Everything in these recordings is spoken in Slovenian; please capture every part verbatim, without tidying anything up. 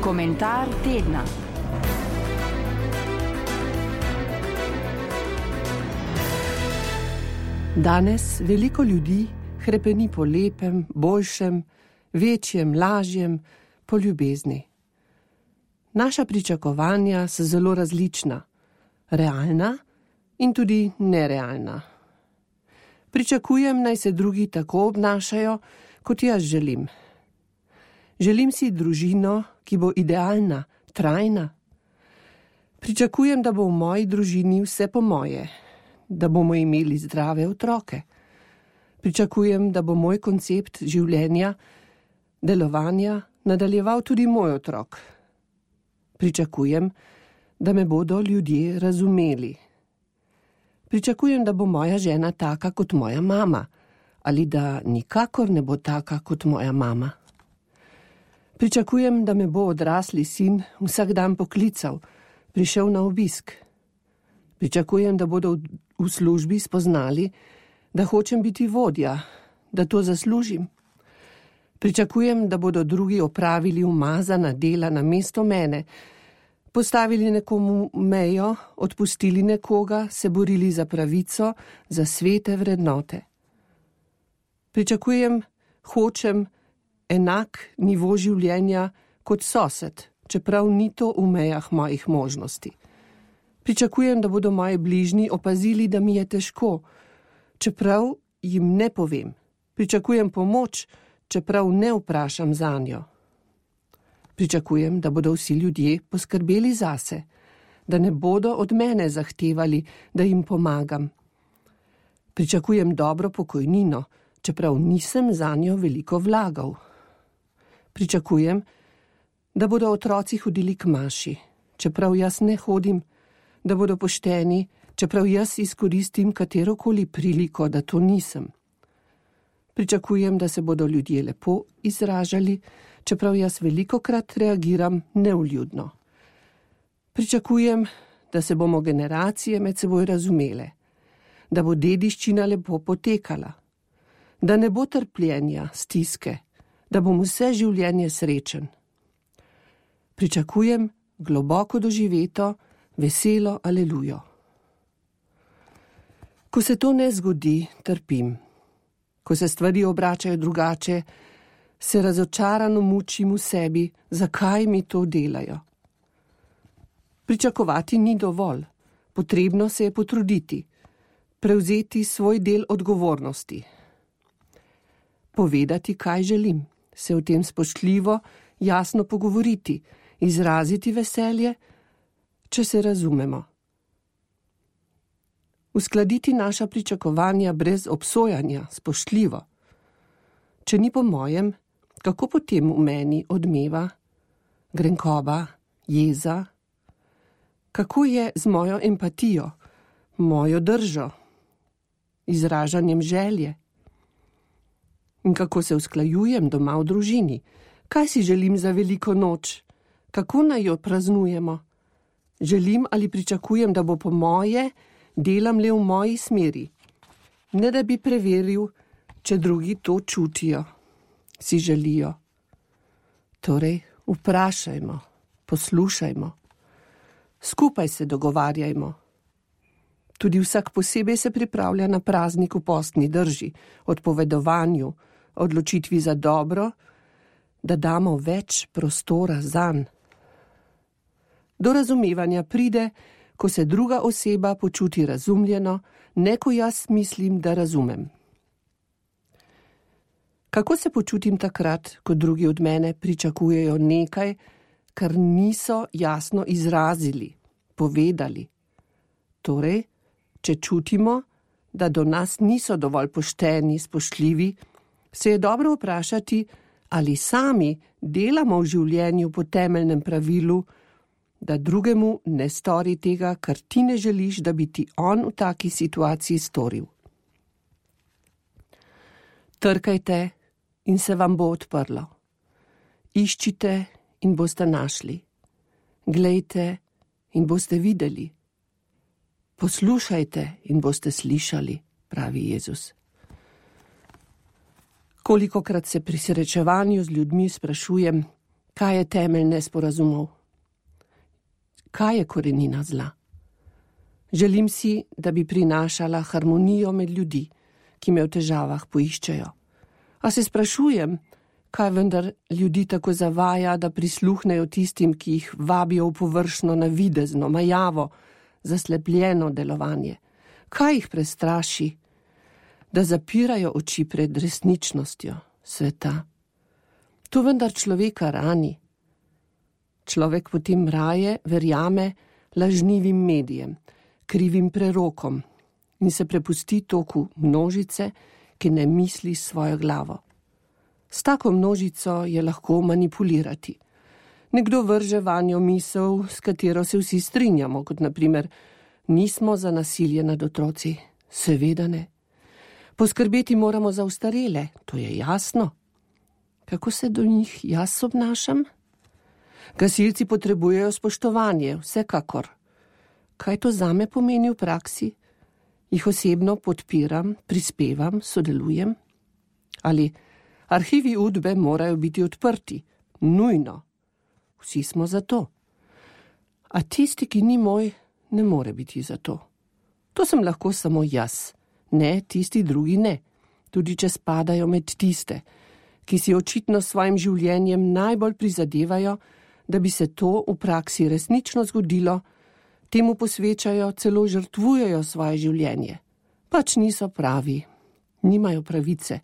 Komentar tedna. Danes veliko ljudi hrepeni po lepem, boljšem, večjem, lažjem, po ljubezni. Naša pričakovanja so zelo različna, realna in tudi nerealna. Pričakujem, naj se drugi tako obnašajo, kot jaz želim. Želim si družino, ki bo idealna, trajna. Pričakujem, da bo v moji družini vse po moje, da bomo imeli zdrave otroke. Pričakujem, da bo moj koncept življenja, delovanja nadaljeval tudi moj otrok. Pričakujem, da me bodo ljudje razumeli. Pričakujem, da bo moja žena taka kot moja mama, ali da nikakor ne bo taka kot moja mama. Pričakujem, da me bo odrasli sin vsak dan poklical, prišel na obisk. Pričakujem, da bodo v službi spoznali, da hočem biti vodja, da to zaslužim. Pričakujem, da bodo drugi opravili umazana dela namesto mene, postavili nekomu mejo, odpustili nekoga, se borili za pravico, za svete vrednote. Pričakujem, hočem enak nivo življenja kot sosed, čeprav ni to v mejah mojih možnosti. Pričakujem, da bodo moji bližnji opazili, da mi je težko, čeprav jim ne povem. Pričakujem pomoč, čeprav ne vprašam zanjo. Pričakujem, da bodo vsi ljudje poskrbeli zase, da ne bodo od mene zahtevali, da jim pomagam. Pričakujem dobro pokojnino, čeprav nisem zanjo veliko vlagal. Pričakujem, da bodo otroci hodili k maši, čeprav jaz ne hodim, da bodo pošteni, čeprav jaz izkoristim katerokoli priliko, da to nisem. Pričakujem, da se bodo ljudje lepo izražali, čeprav jaz velikokrat reagiram nevljudno. Pričakujem, da se bomo generacije med seboj razumele, da bo dediščina lepo potekala, da ne bo trpljenja, stiske, da bom vse življenje srečen. Pričakujem globoko doživeto, veselo alelujo. Ko se to ne zgodi, trpim. Ko se stvari obračajo drugače, se razočarano mučim v sebi, zakaj mi to delajo. Pričakovati ni dovolj, potrebno se je potruditi, prevzeti svoj del odgovornosti. Povedati, kaj želim, se o tem spoštljivo, jasno pogovoriti, izraziti veselje, če se razumemo. Uskladiti naša pričakovanja brez obsojanja, spoštljivo. Če ni po mojem, kako potem v meni odmeva grenkoba, jeza? Kako je z mojo empatijo, mojo držo, izražanjem želje? In kako se usklajujem doma v družini? Kaj si želim za veliko noč? Kako naj jo praznujemo? Želim ali pričakujem, da bo po moje, delam le v moji smeri, ne da bi preveril, če drugi to čutijo, si želijo. Torej, vprašajmo, poslušajmo, skupaj se dogovarjajmo. Tudi vsak posebej se pripravlja na praznik v postni drži, odpovedovanju, odločitvi za dobro, da damo več prostora zanj. Do razumevanja pride, ko se druga oseba počuti razumljeno, ne ko jaz mislim, da razumem. Kako se počutim takrat, ko drugi od mene pričakujejo nekaj, kar niso jasno izrazili, povedali? Torej, če čutimo, da do nas niso dovolj pošteni, spoštljivi, se je dobro vprašati, ali sami delamo v življenju po temeljnem pravilu, da drugemu ne stori tega, kar ti ne želiš, da bi ti on v taki situaciji storil. Trkajte in se vam bo odprlo. Iščite in boste našli. Glejte in boste videli. Poslušajte in boste slišali, pravi Jezus. Kolikokrat se pri srečevanju z ljudmi sprašujem, Kaj je temelj nesporazumov? Kaj je korenina zla? Želim si, da bi prinašala harmonijo med ljudi, ki me v težavah poiščejo. A se sprašujem, kaj vendar ljudi tako zavaja, da prisluhnejo tistim, ki jih vabijo v površno, navidezno, majavo, zaslepljeno delovanje. Kaj jih prestraši, da zapirajo oči pred resničnostjo sveta? To vendar človeka rani. Človek potem raje verjame lažnivim medijem, krivim prerokom in se prepusti toku množice, ki ne misli svojo glavo. S tako množico je lahko manipulirati. Nekdo vrže vanjo misel, s katero se vsi strinjamo, kot naprimer, nismo za nasilje nad otroci, seveda ne. Poskrbeti moramo za ostarele, to je jasno. Kako se do njih jaz obnašam? Gasilci potrebujejo spoštovanje, vsekakor. Kaj to zame pomeni v praksi? Jih osebno podpiram, prispevam, sodelujem? Ali arhivi Udbe morajo biti odprti? Nujno. Vsi smo za to. A tisti, ki ni moj, ne more biti za to. To sem lahko samo jaz. Ne, tisti drugi ne. Tudi če spadajo med tiste, ki si očitno s svojim življenjem najbolj prizadevajo, da bi se to v praksi resnično zgodilo, temu posvečajo, celo žrtvujejo svoje življenje. Pač niso pravi, nimajo pravice,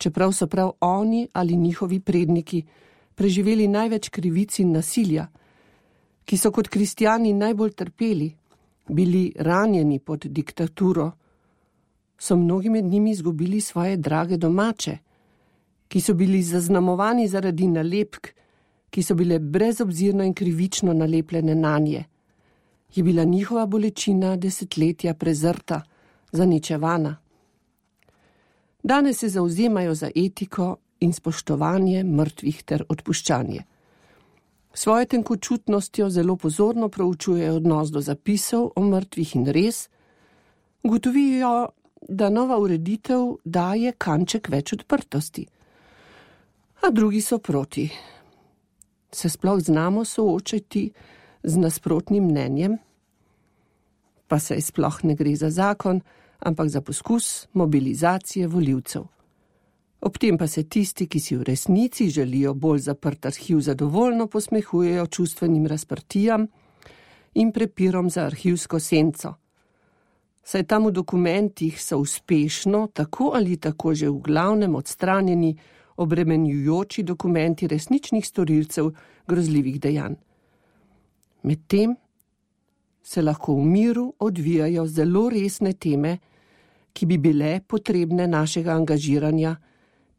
čeprav so prav oni ali njihovi predniki preživeli največ krivic in nasilja, ki so kot kristjani najbolj trpeli, bili ranjeni pod diktaturo, so mnogi med njimi izgubili svoje drage domače, ki so bili zaznamovani zaradi nalepk, ki so bile brezobzirno in krivično nalepljene nanje. Je bila njihova bolečina desetletja prezrta, zaničevana. Danes se zavzemajo za etiko in spoštovanje mrtvih ter odpuščanje. Svojo tenkočutnostjo zelo pozorno proučujejo odnos do zapisov o mrtvih in res, ugotovijo, da nova ureditev daje kanček več odprtosti. A drugi so proti. Se sploh znamo soočiti z nasprotnim mnenjem? Pa saj sploh ne gre za zakon, ampak za poskus mobilizacije volivcev. Ob tem pa se tisti, ki si v resnici želijo bolj zaprt arhiv, zadovoljno posmehujejo čustvenim razprtijam in prepirom za arhivsko senco. Saj tam v dokumentih so uspešno, tako ali tako že v glavnem odstranjeni obremenjujoči dokumenti resničnih storilcev grozljivih dejanj. Medtem se lahko v miru odvijajo zelo resne teme, ki bi bile potrebne našega angažiranja,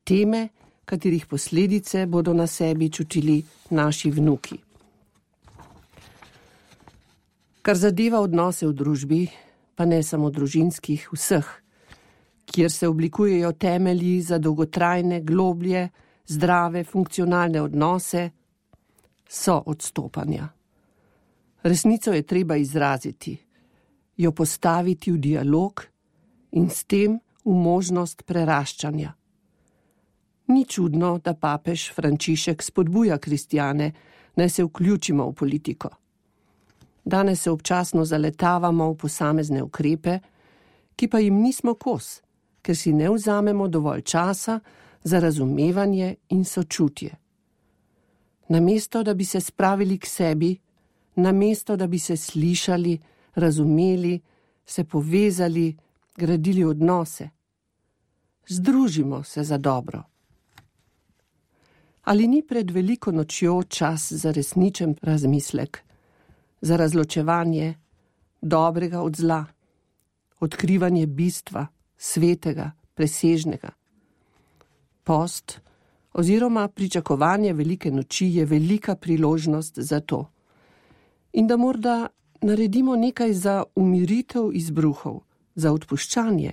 teme, katerih posledice bodo na sebi čutili naši vnuki. Kar zadeva odnose v družbi, pa ne samo družinskih, vseh, kjer se oblikujejo temelji za dolgotrajne, globlje, zdrave, funkcionalne odnose, so odstopanja. Resnico je treba izraziti, jo postaviti v dialog in s tem v možnost preraščanja. Ni čudno, da papež Frančišek spodbuja kristjane, naj se vključimo v politiko. Danes se občasno zaletavamo v posamezne ukrepe, ki pa jim nismo kos, ker si ne vzamemo dovolj časa za razumevanje in sočutje. Namesto, da bi se spravili k sebi, namesto, da bi se slišali, razumeli, se povezali, gradili odnose. Združimo se za dobro. Ali ni pred veliko nočjo čas za resničen razmislek, za razločevanje dobrega od zla, odkrivanje bistva, svetega, presežnega? Post oziroma pričakovanje velike noči je velika priložnost za to. In da morda naredimo nekaj za umiritev izbruhov, za odpuščanje.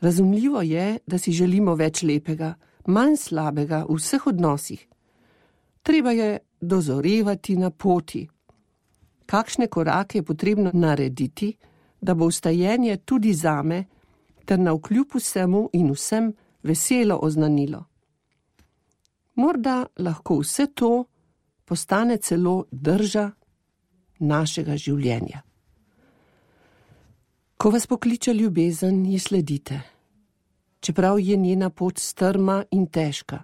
Razumljivo je, da si želimo več lepega, manj slabega v vseh odnosih. Treba je dozorevati na poti. Kakšne korake je potrebno narediti, da bo vstajenje tudi zame, ter navkljub vsemu in vsem veselo oznanilo. Morda lahko vse to postane celo drža našega življenja. Ko vas pokliče ljubezen, ji sledite, čeprav je njena pot strma in težka.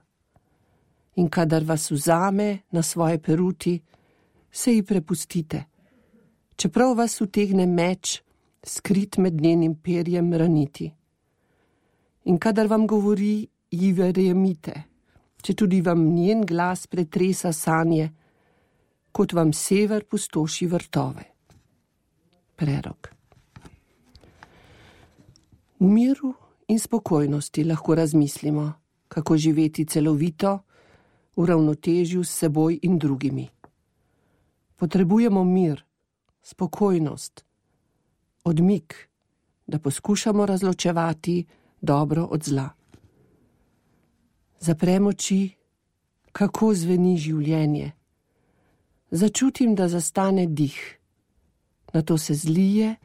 In kadar vas vzame na svoje peruti, se ji prepustite, čeprav vas utegne meč, skrit med njenim perjem, raniti. In kadar vam govori, ji verjemite, če tudi vam njen glas pretresa sanje, kot vam sever pustoši vrtove. Prerok. V miru in spokojnosti lahko razmislimo, kako živeti celovito, v ravnotežju s seboj in drugimi. Potrebujemo mir, spokojnost, odmik, da poskušamo razločevati dobro od zla. Zaprem oči, kako zveni življenje. Začutim, da zastane dih, nato se zlije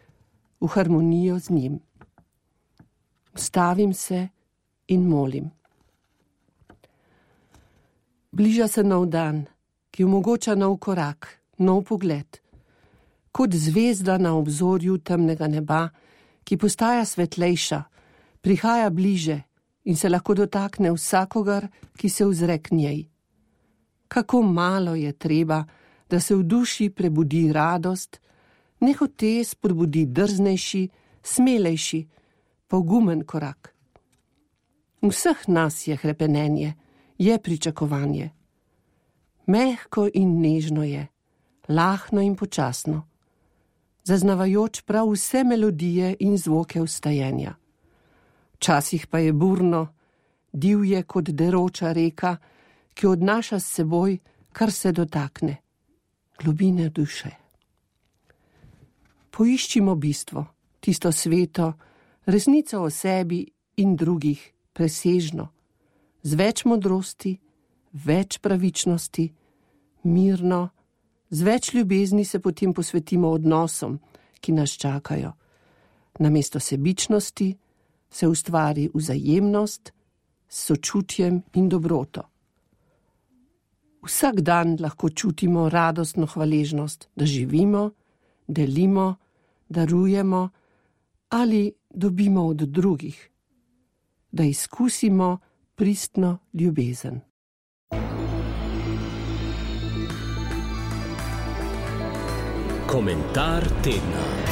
v harmonijo z njim. Ustavim se in molim. Bliža se nov dan, ki omogoča nov korak, nov pogled. Kot zvezda na obzorju temnega neba, ki postaja svetlejša, prihaja bliže in se lahko dotakne vsakogar, ki se ozre k njej. Kako malo je treba, da se v duši prebudi radost, nehote spodbudi drznejši, smelejši, pogumen korak. V vseh nas je hrepenenje, je pričakovanje. Mehko in nežno je, lahno in počasno, zaznavajoč prav vse melodije in zvoke vstajenja. Včasih pa je burno, divje kot deroča reka, ki odnaša s seboj, kar se dotakne, globine duše. Poiščimo bistvo, tisto sveto, resnico o sebi in drugih, presežno, z več modrosti, več pravičnosti, mirno, z več ljubezni se potem posvetimo odnosom, ki nas čakajo. Namesto sebičnosti se ustvari vzajemnost s sočutjem in dobroto. Vsak dan lahko čutimo radostno hvaležnost, da živimo, delimo, darujemo ali dobimo od drugih, da izkusimo pristno ljubezen. Komentar tedna.